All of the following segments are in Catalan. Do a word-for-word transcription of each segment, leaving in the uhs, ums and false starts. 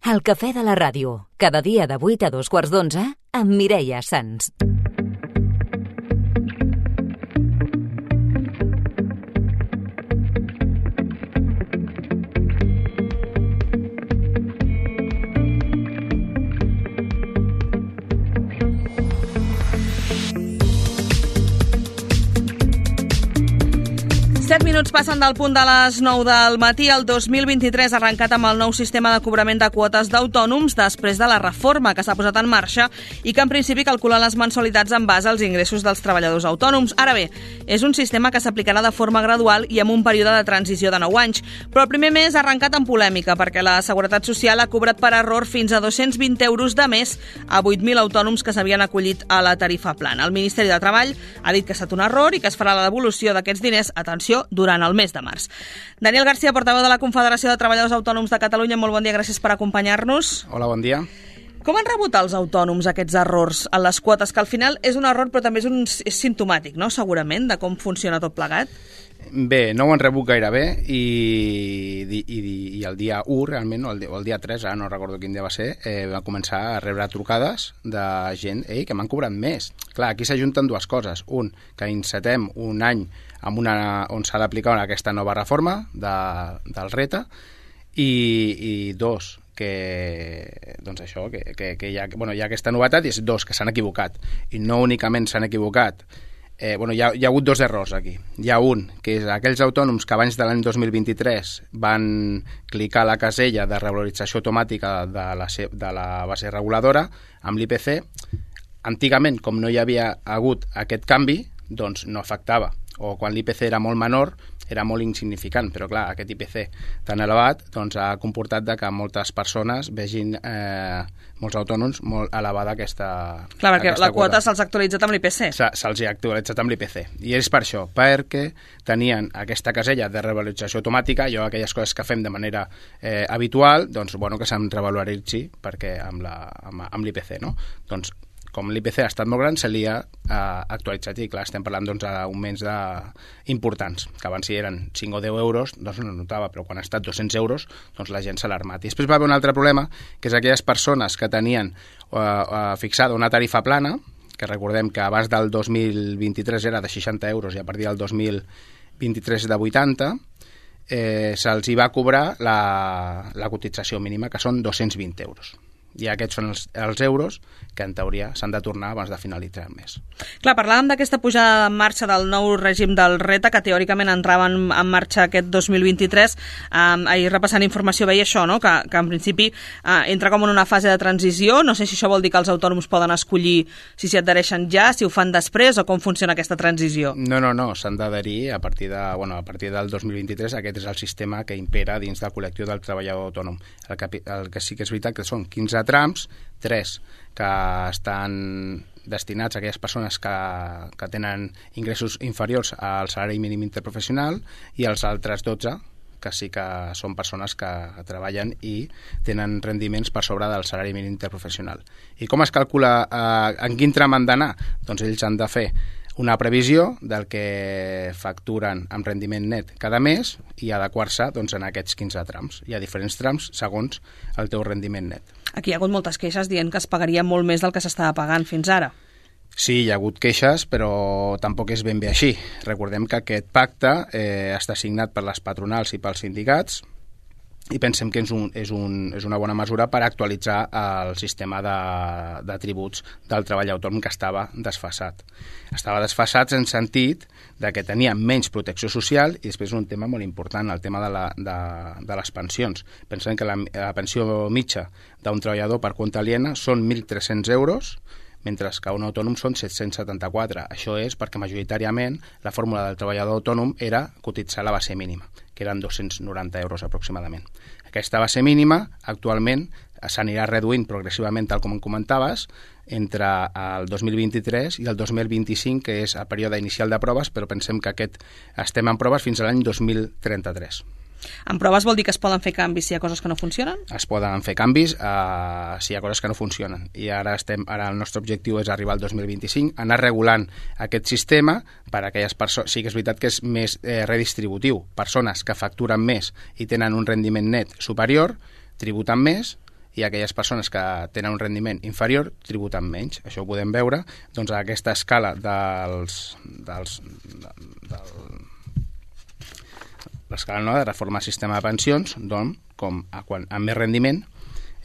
El cafè de la ràdio, cada dia de vuit a dos quarts d'onze, amb Mireia Sans. set minuts passen del punt de les nou del matí. El dos mil vint-i-tres ha arrencat amb el nou sistema de cobrament de quotes d'autònoms després de la reforma que s'ha posat en marxa i que en principi calcula les mensualitats en base als ingressos dels treballadors autònoms. Ara bé, és un sistema que s'aplicarà de forma gradual i amb un període de transició de nou anys. Però el primer mes ha arrencat amb polèmica perquè la Seguretat Social ha cobrat per error fins a dos-cents vint euros de més a vuit mil autònoms que s'havien acollit a la tarifa plana. El Ministeri de Treball ha dit que ha estat un error i que es farà la devolució d'aquests diners, atenció, durant el mes de març. Daniel García, portaveu de la Confederació de Treballadors Autònoms de Catalunya, molt bon dia, gràcies per acompanyar-nos. Hola, bon dia. Com han rebut els autònoms aquests errors en les quotes, que al final és un error però també és, un, és simptomàtic, no?, segurament, de com funciona tot plegat? Bé, no ho han rebut gaire bé i, i, i, i el dia u, realment, o el, o el dia tres, ara no recordo quin dia va ser, eh, va començar a rebre trucades de gent ei, que m'han cobrat més. Clar, aquí s'ajunten dues coses. Un, que encetem un any amb una, on s'ha d'aplicar aquesta nova reforma de, del R E T A i, i dos, que, doncs això, que, que, que hi, ha, bueno, hi ha aquesta novetat i és dos, que s'han equivocat. I no únicament s'han equivocat, eh, bueno, hi ha, hi ha hagut dos errors aquí. Hi ha un, que és aquells autònoms que abans de l'any dos mil vint-i-tres van clicar la casella de revalorització automàtica de la, de la base reguladora amb l'I P C. Antigament, com no hi havia hagut aquest canvi, doncs no afectava. O quan l'I P C era molt menor, era molt insignificant, però clar, aquest I P C tan elevat doncs, ha comportat de que moltes persones vegin, eh, molts autònoms, molt elevada aquesta Clar, perquè aquesta la quota se'ls ha actualitzat amb l'I P C. Se, se'ls ha actualitzat amb l'I P C. I és per això, perquè tenien aquesta casella de revalorització automàtica, jo aquelles coses que fem de manera eh, habitual, doncs, bueno, que se'm revaloritzi perquè amb, la, amb, amb l'I P C, no? Doncs com l'I P C ha estat molt gran, se li ha eh, actualitzat i clar, estem parlant doncs, d'augments de... importants, que abans si eren cinc o deu euros, doncs no notava, però quan ha estat dos-cents euros, doncs la gent s'ha alarmat. I després va haver un altre problema, que és aquelles persones que tenien eh, eh, fixada una tarifa plana, que recordem que abans del dos mil vint-i-tres era de seixanta euros i a partir del dos mil vint-i-tres de vuitanta, eh, se'ls hi va cobrar la, la cotització mínima, que són dos-cents vint euros. I aquests són els, els euros que en teoria s'han de tornar abans de finalitzar el mes. Clar, parlàvem d'aquesta pujada en marxa del nou règim del R E T A, que teòricament entrava en, en marxa aquest dos mil vint-i-tres. Um, ahir repassant informació veia això, no? que, que en principi uh, entra com en una fase de transició. No sé si això vol dir que els autònoms poden escollir si s'hi adhereixen ja, si ho fan després, o com funciona aquesta transició. No, no, no, s'han d'adherir a partir de, bueno, a partir del dos mil vint-i-tres. Aquest és el sistema que impera dins del col·lectiu del treballador autònom. El que, el que sí que és veritat que són quinze trams, tres que estan destinats a aquelles persones que, que tenen ingressos inferiors al salari mínim interprofessional i els altres dotze que sí que són persones que treballen i tenen rendiments per sobre del salari mínim interprofessional. I com es calcula eh, en quin tram han d'anar? Doncs ells han de fer una previsió del que facturen amb rendiment net cada mes i adequar-se doncs, en aquests quinze trams. Hi ha diferents trams segons el teu rendiment net. Aquí hi ha hagut moltes queixes dient que es pagaria molt més del que s'estava pagant fins ara. Sí, hi ha hagut queixes, però tampoc és ben bé així. Recordem que aquest pacte eh, està signat per les patronals i pels sindicats i pensem que és, un, és, un, és una bona mesura per actualitzar el sistema de, de tributs del treball autònom que estava desfasat. Estava desfasat en sentit de que tenia menys protecció social i després un tema molt important, el tema de, la, de, de les pensions. Pensem que la, la pensió mitja d'un treballador per compte aliena són mil tres-cents euros, mentre que un autònom són set-cents setanta-quatre. Això és perquè majoritàriament la fórmula del treballador autònom era cotitzar la base mínima, que eren dos-cents noranta euros aproximadament. Aquesta base mínima actualment s'anirà reduint progressivament, tal com em comentaves, entre el dos mil vint-i-tres i el dos mil vint-i-cinc, que és el període inicial de proves, però pensem que aquest estem en proves fins a l'any dos mil trenta-tres. En proves vol dir que es poden fer canvis si hi ha coses que no funcionen? Es poden fer canvis uh, si hi ha coses que no funcionen. I ara, estem, ara el nostre objectiu és arribar al dos mil vint-i-cinc, anar regulant aquest sistema per a aquelles persones. Sí que és veritat que és més eh, redistributiu. Persones que facturen més i tenen un rendiment net superior, tributen més, i aquelles persones que tenen un rendiment inferior tributen menys. Això ho podem veure doncs, a aquesta escala dels... dels del, l'escala no, de reforma del sistema de pensions, doncs, com a, quan, amb més rendiment,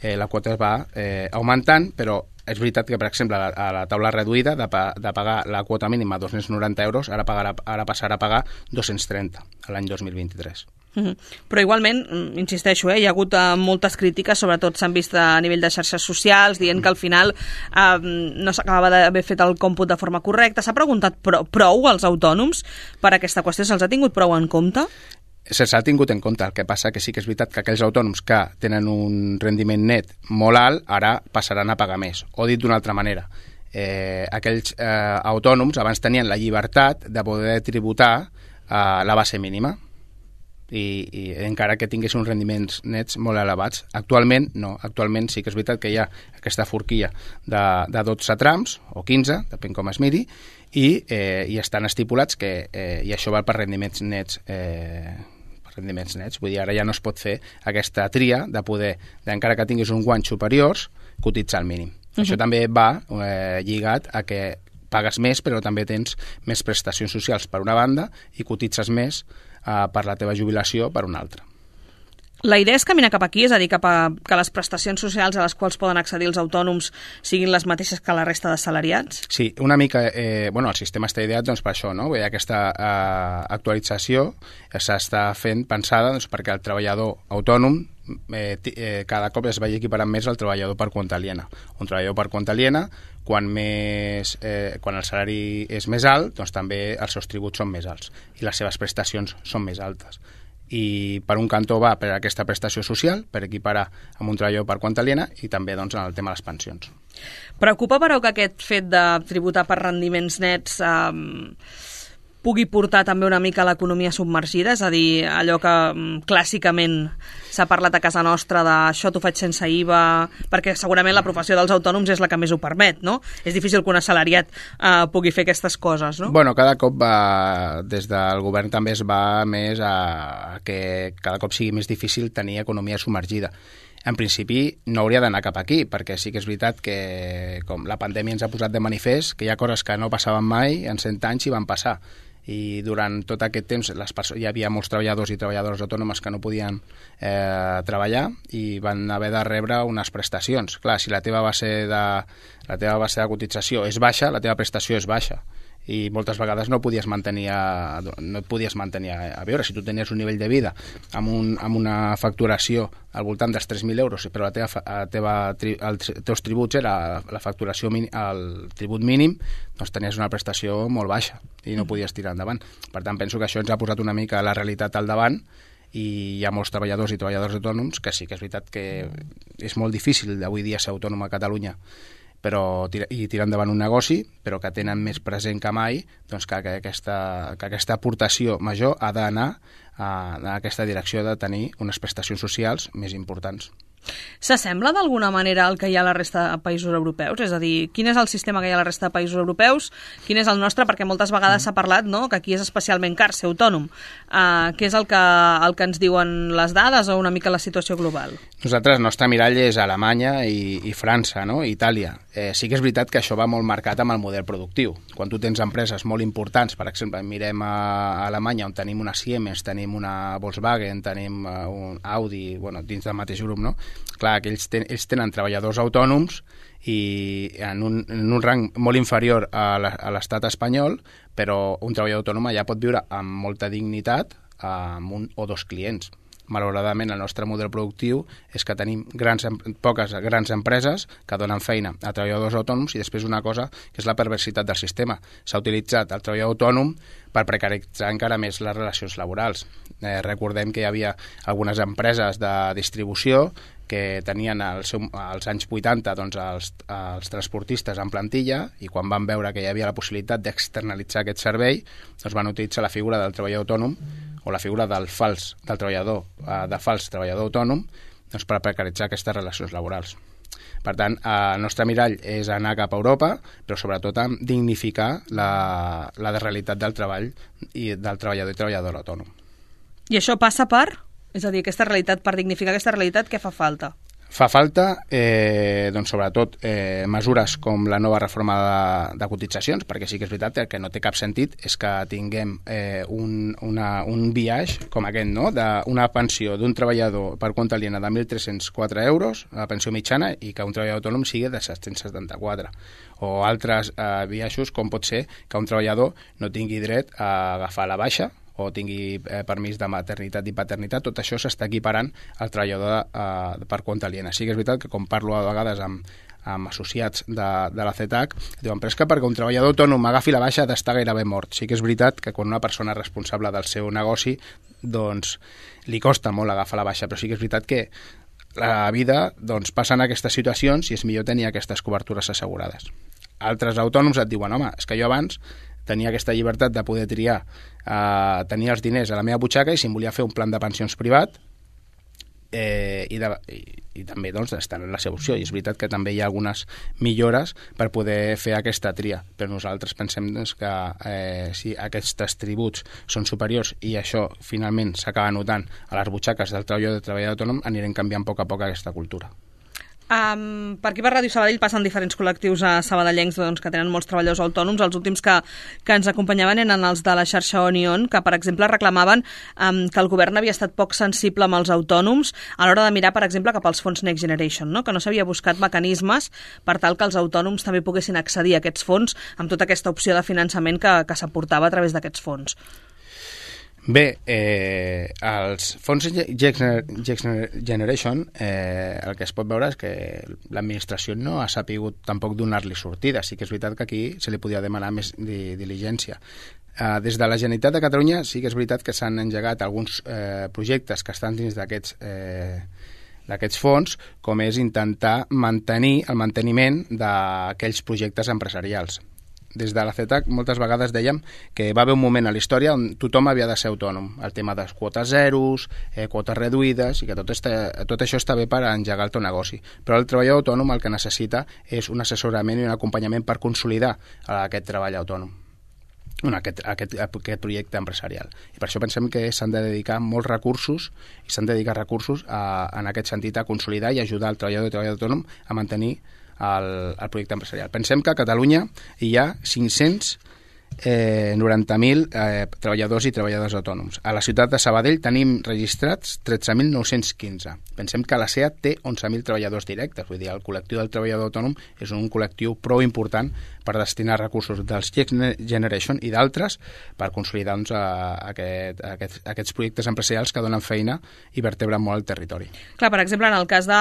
eh, la quota es va eh, augmentant, però és veritat que, per exemple, a la, a la taula reduïda de, pa, de pagar la quota mínima a dos-cents noranta euros, ara, pagarà, ara passarà a pagar dos-cents trenta l'any dos mil vint-i-tres. Mm-hmm. Però igualment, insisteixo, eh, hi ha hagut eh, moltes crítiques, sobretot s'han vist a nivell de xarxes socials, dient que al final eh, no s'acabava d'haver fet el còmput de forma correcta. S'ha preguntat prou, prou als autònoms per aquesta qüestió? Se'ls ha tingut prou en compte? Se'ls ha tingut en compte, el que passa que sí que és veritat que aquells autònoms que tenen un rendiment net molt alt ara passaran a pagar més. O dit d'una altra manera, eh, aquells eh, autònoms abans tenien la llibertat de poder tributar eh, la base mínima i, i encara que tinguessin uns rendiments nets molt elevats. Actualment no, actualment sí que és veritat que hi ha aquesta forquilla de, de dotze trams o quinze, depèn com es miri, i, eh, i estan estipulats que eh, i això val per rendiments nets eh, rendiments nets, vull dir, ara ja no es pot fer aquesta tria de poder, encara que tinguis uns guanys superiors, cotitzar al mínim. Uh-huh. Això també va eh, lligat a que pagues més, però també tens més prestacions socials per una banda i cotitzes més eh, per la teva jubilació per una altra. La idea és caminar cap aquí, és a dir, cap a que les prestacions socials a les quals poden accedir els autònoms siguin les mateixes que la resta de salariats? Sí, una mica, eh, bueno, el sistema està ideat doncs, per això, no? Vull dir, aquesta eh, actualització s'està fent pensada doncs, perquè el treballador autònom eh, eh, cada cop es vagi equiparant més al treballador per compte aliena. Un treballador per compte aliena, quan, més, eh, quan el salari és més alt, doncs també els seus tributs són més alts i les seves prestacions són més altes. I per un cantó va per aquesta prestació social, per equiparar amb un treballador per compte aliena i també doncs, en el tema de les pensions. Preocupa, però, que aquest fet de tributar per rendiments nets eh, pugui portar també una mica a l'economia submergida, és a dir, allò que clàssicament s'ha parlat a casa nostra de això t'ho faig sense I V A, perquè segurament la professió dels autònoms és la que més ho permet, no? És difícil que un assalariat eh, pugui fer aquestes coses, no? Bueno, cada cop va, des del govern també es va més a, a que cada cop sigui més difícil tenir economia submergida. En principi no hauria d'anar cap aquí, perquè sí que és veritat que com la pandèmia ens ha posat de manifest que hi ha coses que no passaven mai, en cent anys i van passar. I durant tot aquest temps les perso- hi havia molts treballadors i treballadores autònomes que no podien eh, treballar i van haver de rebre unes prestacions. Clar, si la teva base de, la teva base de cotització és baixa, la teva prestació és baixa. I moltes vegades no podies mantenir a, no et podies mantenir a, a veure. Si tu tenies un nivell de vida amb, un, amb una facturació al voltant dels tres mil euros, però la teva, la teva, els teus tributs era la facturació, el tribut mínim, doncs tenies una prestació molt baixa i no podies tirar endavant. Per tant, penso que això ens ha posat una mica la realitat al davant i hi ha molts treballadors i treballadors autònoms que sí que és veritat que és molt difícil avui dia ser autònom a Catalunya, però tira, i tirar endavant un negoci, però que tenen més present que mai doncs que, que, aquesta, que aquesta aportació major ha d'anar a, a aquesta direcció de tenir unes prestacions socials més importants. S'assembla d'alguna manera al que hi ha a la resta de països europeus? És a dir, quin és el sistema que hi ha a la resta de països europeus? Quin és el nostre? Perquè moltes vegades s'ha parlat, no?, que aquí és especialment car ser autònom. Uh, què és el que, el que ens diuen les dades o una mica la situació global? Nosaltres, el nostre mirall és Alemanya i, i França, no?, i Itàlia. Eh, sí que és veritat que això va molt marcat amb el model productiu. Quan tu tens empreses molt importants, per exemple, mirem a Alemanya on tenim una Siemens, tenim una Volkswagen, tenim uh, un Audi, bueno, dins del mateix grup, no?, clar, que ells, ten, ells tenen treballadors autònoms i en un, en un rang molt inferior a l'estat espanyol, però un treballador autònom ja pot viure amb molta dignitat amb un o dos clients. Malauradament, el nostre model productiu és que tenim grans, poques grans empreses que donen feina a treballadors autònoms i després una cosa que és la perversitat del sistema. S'ha utilitzat el treballador autònom per precaritzar encara més les relacions laborals. Eh, recordem que hi havia algunes empreses de distribució que tenien al seu, als anys vuitanta doncs, els, els transportistes en plantilla i quan van veure que hi havia la possibilitat d'externalitzar aquest servei doncs van utilitzar la figura del treballador autònom o la figura del fals del treballador, eh, de fals treballador autònom doncs, per precaritzar aquestes relacions laborals. Per tant, el nostre mirall és anar cap a Europa, però sobretot a dignificar la, la realitat del treball i del treballador i treballadora autònom. I això passa per? És a dir, aquesta realitat, per dignificar aquesta realitat, què fa falta? Fa falta, eh, doncs, sobretot, eh, mesures com la nova reforma de, de cotitzacions, perquè sí que és veritat que el que no té cap sentit és que tinguem eh, un, una, un biaix com aquest, no?, d'una pensió d'un treballador per compte aliena de mil tres-cents quatre euros, la pensió mitjana, i que un treballador autònom sigui de set-cents setanta-quatre. O altres eh, biaixos, com pot ser que un treballador no tingui dret a agafar la baixa o tingui eh, permís de maternitat i paternitat. Tot això s'està equiparant al treballador eh, per compte aliena. Sí que és veritat que, com parlo a vegades amb, amb associats de, de la C E T A C, diuen, però és que perquè un treballador autònom agafi la baixa ha d'estar gairebé mort. Sí que és veritat que quan una persona responsable del seu negoci, doncs li costa molt agafar la baixa, però sí que és veritat que la vida, doncs, passen aquestes situacions i és millor tenir aquestes cobertures assegurades. Altres autònoms et diuen, home, és que jo abans tenia aquesta llibertat de poder triar, eh, tenir els diners a la meva butxaca, i si em volia fer un plan de pensions privat, eh, i, de, i, i també doncs, estar en la seva opció. I és veritat que també hi ha algunes millores per poder fer aquesta tria, però nosaltres pensem doncs, que eh, si aquests tributs són superiors i això finalment s'acaba notant a les butxaques del treballador i del treballador autònom, anirem canviant a poc a poc aquesta cultura. Um, per aquí per Ràdio Sabadell passen diferents col·lectius a sabadellencs, doncs, que tenen molts treballadors autònoms. Els últims que, que ens acompanyaven eren els de la xarxa Onion, que per exemple reclamaven um, que el govern havia estat poc sensible amb els autònoms a l'hora de mirar, per exemple, cap als fons Next Generation, no? Que no s'havia buscat mecanismes per tal que els autònoms també poguessin accedir a aquests fons amb tota aquesta opció de finançament que, que s'aportava a través d'aquests fons. Bé, eh, els fons Generation, eh, el que es pot veure és que l'administració no ha sapigut tampoc donar-li sortida. Sí que és veritat que aquí se li podia demanar més di diligència. Eh, des de la Generalitat de Catalunya sí que és veritat que s'han engegat alguns eh, projectes que estan dins d'aquests eh, d'aquests fons, com és intentar mantenir el manteniment d'aquells projectes empresarials. Des de la C E T A C moltes vegades dèiem que va haver un moment a la història on tothom havia de ser autònom. El tema de quotes zeros, eh, quotes reduïdes, i que tot, està, tot això està bé per engegar el teu negoci. Però el treballador autònom el que necessita és un assessorament i un acompanyament per consolidar aquest treball autònom, aquest, aquest, aquest projecte empresarial. I per això pensem que s'han de dedicar molts recursos i s'han de dedicar recursos a, en aquest sentit a consolidar i ajudar el treballador i treballador autònom a mantenir el, el projecte empresarial. Pensem que a Catalunya hi ha cinc-cents noranta mil eh, treballadors i treballadors autònoms. A la ciutat de Sabadell tenim registrats tretze mil nou-cents quinze. Pensem que la SEAT té onze mil treballadors directes, vull dir, el col·lectiu del treballador autònom és un col·lectiu prou important per destinar recursos dels Next Generation i d'altres per consolidar doncs, aquest, aquest, aquests projectes empresarials que donen feina i vertebren molt el territori. Clar, per exemple, en el cas de,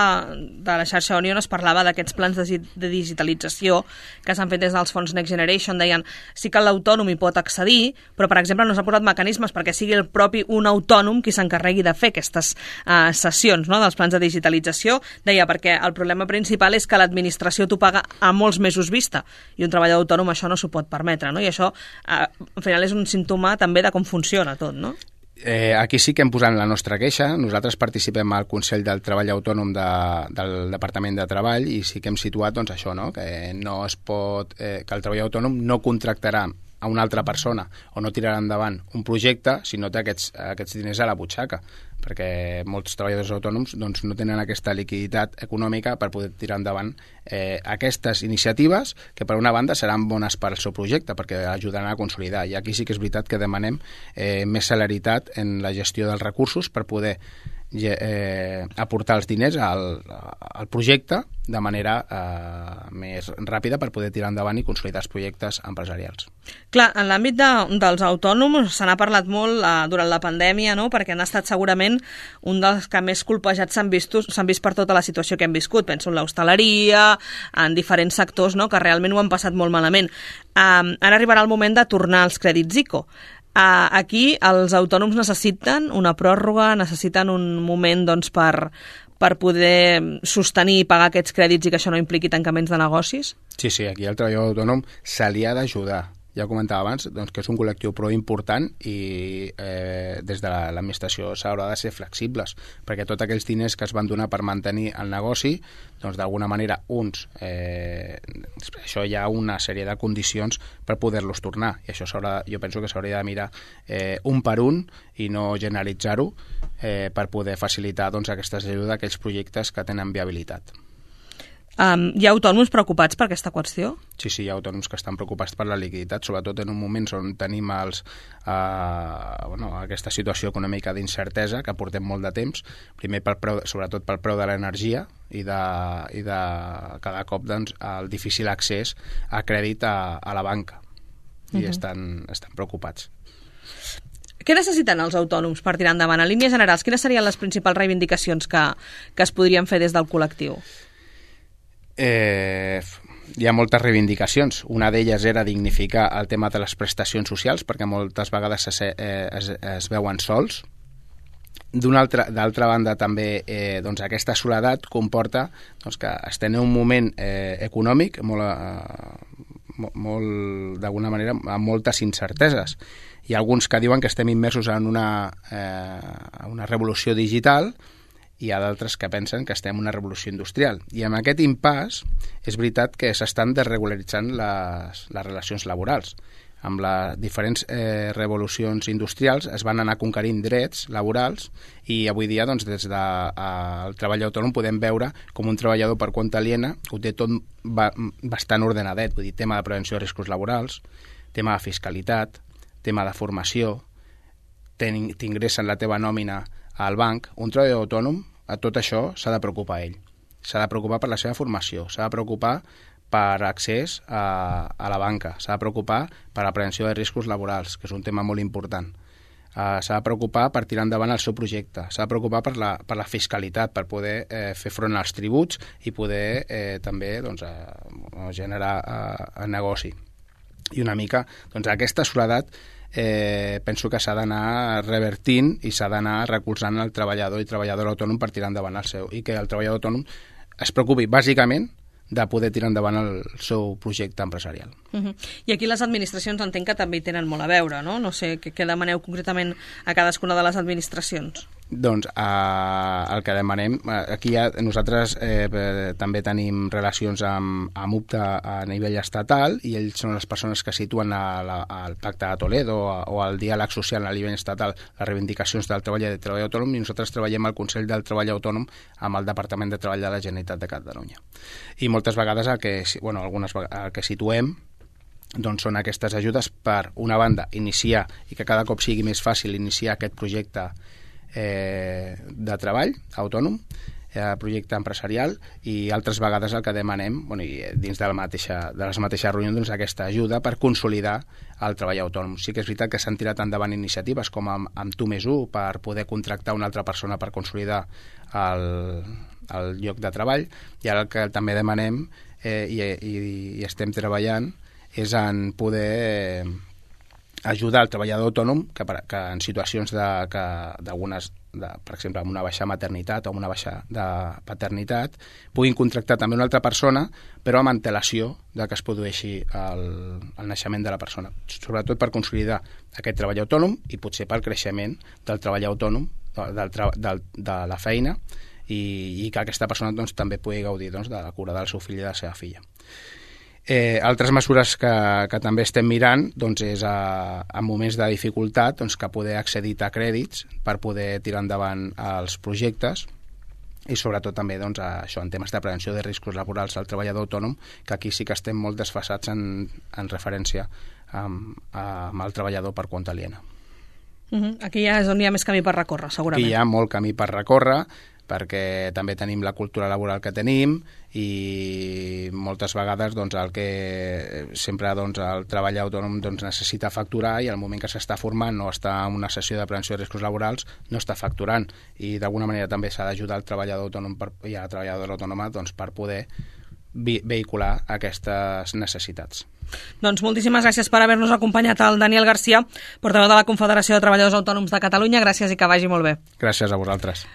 de la xarxa Onion es parlava d'aquests plans de, de digitalització que s'han fet des dels fons Next Generation. Deien, sí que l'autònom hi pot accedir, però, per exemple, no s'ha posat mecanismes perquè sigui el propi un autònom qui s'encarregui de fer aquestes uh, sessions, no?, dels plans de digitalització. Deia, perquè el problema principal és que l'administració t'ho paga a molts mesos vista i un treballador autònom això no s'ho pot permetre, no? I això, eh, al final, és un símptoma també de com funciona tot, no? Eh, aquí sí que hem posat la nostra queixa. Nosaltres participem al Consell del Treball Autònom de, del Departament de Treball i sí que hem situat doncs, això, no? Que no es pot, eh, que el treballador autònom no contractarà a una altra persona o no tirarà endavant un projecte si no té aquests, aquests diners a la butxaca, perquè molts treballadors autònoms doncs, no tenen aquesta liquiditat econòmica per poder tirar endavant eh, aquestes iniciatives que per una banda seran bones per al seu projecte perquè ajudaran a consolidar. I aquí sí que és veritat que demanem eh, més celeritat en la gestió dels recursos per poder eh, aportar els diners al, al projecte de manera eh, més ràpida per poder tirar endavant i consolidar els projectes empresarials. Clar, en l'àmbit de, dels autònoms se n'ha parlat molt eh, durant la pandèmia, no?, perquè han estat segurament un dels que més colpejats s'han vist, s'han vist per tota la situació que hem viscut. Penso en l'hostaleria, en diferents sectors, no?, que realment ho han passat molt malament. Um, ara arribarà el moment de tornar als crèdits ICO. Uh, aquí els autònoms necessiten una pròrroga, necessiten un moment doncs, per, per poder sostenir i pagar aquests crèdits i que això no impliqui tancaments de negocis? Sí, sí, aquí el treballador autònom se li ha d'ajudar. ja ho comentava abans, doncs, que és un col·lectiu prou important i eh, des de l'administració s'haurà de ser flexibles, perquè tots aquells diners que es van donar per mantenir el negoci, doncs d'alguna manera uns, eh, això hi ha una sèrie de condicions per poder-los tornar, i això jo penso que s'hauria de mirar eh, un per un i no generalitzar-ho eh, per poder facilitar doncs, aquestes ajudes a aquells projectes que tenen viabilitat. Um, hi ha autònoms preocupats per aquesta qüestió? Sí, sí, hi ha autònoms que estan preocupats per la liquiditat, sobretot en un moment on tenim els, eh, bueno, aquesta situació econòmica d'incertesa que portem molt de temps, primer pel preu, sobretot pel preu de l'energia i de, i de cada cop doncs, el difícil accés a crèdit a, a la banca, i uh-huh. estan, estan preocupats. Què necessiten els autònoms per tirar endavant? En línies generals, quines serien les principals reivindicacions que, que es podrien fer des del col·lectiu? Eh, hi ha moltes reivindicacions. Una d'elles era dignificar el tema de les prestacions socials, perquè moltes vegades es, eh, es, es veuen sols. D'altra banda, també eh, doncs, aquesta soledat comporta doncs, que estem en un moment eh, econòmic molt, eh, molt d'alguna manera amb moltes incerteses. Hi ha alguns que diuen que estem immersos en una, eh, una revolució digital, hi ha d'altres que pensen que estem en una revolució industrial. I amb aquest impàs és veritat que s'estan desregularitzant les, les relacions laborals. Amb les diferents eh, revolucions industrials es van anar conquerint drets laborals i avui dia doncs, des del de, treball autònom podem veure com un treballador per compte aliena ho té tot ba, bastant ordenadet, vull dir, tema de prevenció de riscos laborals, tema de fiscalitat, tema de formació, t'ingressen la teva nòmina al banc. Un treballador autònom, a tot això s'ha de preocupar ell. S'ha de preocupar per la seva formació, s'ha de preocupar per accés a, a la banca, s'ha de preocupar per la prevenció de riscos laborals, que és un tema molt important. Uh, s'ha de preocupar per tirar endavant el seu projecte, s'ha de preocupar per la, per la fiscalitat, per poder eh, fer front als tributs i poder eh, també doncs, eh, generar eh, negoci. I una mica, doncs, aquesta soledat Eh, penso que s'ha d'anar revertint i s'ha d'anar recolzant el treballador i treballador autònom per tirar endavant el seu, i que el treballador autònom es preocupi bàsicament de poder tirar endavant el seu projecte empresarial. Uh-huh. I aquí les administracions entenc que també hi tenen molt a veure, no? No sé, què, què demaneu concretament a cadascuna de les administracions? Doncs eh, el que demanem, aquí ja nosaltres eh, també tenim relacions amb, amb U P T A a nivell estatal, i ells són les persones que situen a la, al Pacte de Toledo o, o al diàleg social a nivell estatal les reivindicacions del treball i del treball autònom, i nosaltres treballem al Consell del Treball Autònom amb el Departament de Treball de la Generalitat de Catalunya. I moltes vegades el que, bueno, algunes vegades, el que situem doncs són aquestes ajudes per, una banda, iniciar, i que cada cop sigui més fàcil iniciar aquest projecte eh, de treball autònom, eh, projecte empresarial, i altres vegades el que demanem, bueno, i dins de, la mateixa, de les mateixes reunions, doncs, aquesta ajuda per consolidar el treball autònom. Sí que és veritat que s'han tirat endavant iniciatives com amb, amb tu més u per poder contractar una altra persona per consolidar el, el lloc de treball, i ara el que també demanem eh, i, i, i estem treballant és en poder eh, ajudar el treballador autònom que, que en situacions de, que, d'algunes, de, per exemple, amb una baixa maternitat o amb una baixa de paternitat, puguin contractar també una altra persona, però amb antelació de que es produeixi el, el naixement de la persona. Sobretot per consolidar aquest treball autònom i potser pel creixement del treball autònom, del, del, de la feina, i, i que aquesta persona doncs, també pugui gaudir doncs, de la cura del seu fill i de la seva filla. Eh, altres mesures que, que també estem mirant doncs, és a, a moments de dificultat doncs, que poder accedir a crèdits per poder tirar endavant els projectes, i sobretot també doncs, a això, en temes de prevenció de riscos laborals al treballador autònom, que aquí sí que estem molt desfasats en, en referència amb, amb el treballador per compte aliena. Uh-huh. Aquí ja és on hi ha més camí per recórrer, segurament. Aquí hi ha molt camí per recórrer, perquè també tenim la cultura laboral que tenim, i moltes vegades doncs, el que sempre doncs, el treball autònom doncs, necessita facturar, i al moment que s'està formant o està en una sessió de prevenció de riscos laborals no està facturant, i d'alguna manera també s'ha d'ajudar el treballador autònom per, i a la treballadora autònoma doncs, per poder vehicular aquestes necessitats. Doncs moltíssimes gràcies per haver-nos acompanyat, el Daniel Garcia, portaveu de la Confederació de Treballadors Autònoms de Catalunya. Gràcies i que vagi molt bé. Gràcies a vosaltres.